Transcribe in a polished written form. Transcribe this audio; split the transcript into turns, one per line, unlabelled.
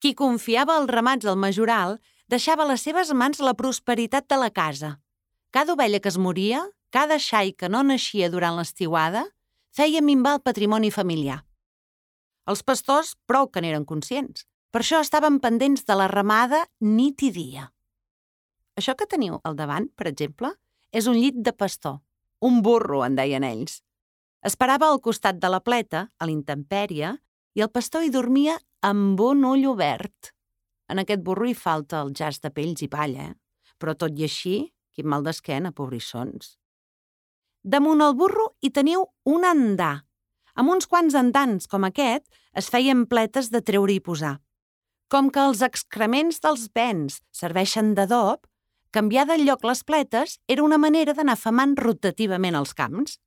Qui confiava als ramats al majoral deixava a les seves mans la prosperitat de la casa. Cada ovella que es moria, cada xai que no naixia durant l'estiuada, feia minvar el patrimoni familiar. Els pastors prou que n'eren conscients. Per això estaven pendents de la ramada nit i dia. Això que teniu al davant, per exemple, és un llit de pastor. Un burro, en deien ells. Esperava al costat de la pleta, a la intempèrie, i el pastor hi dormia amb un ull obert. En aquest burro hi falta el jaç de pells i palla, però tot i així, quin mal d'esquena, pobrissons. Damunt el burro hi teniu un andà. Amb uns quants andans com aquest es feien pletes de treure i posar. Com que els excrements dels bens serveixen d'adob, canviar de lloc les pletes era una manera d'anar femant rotativament els camps.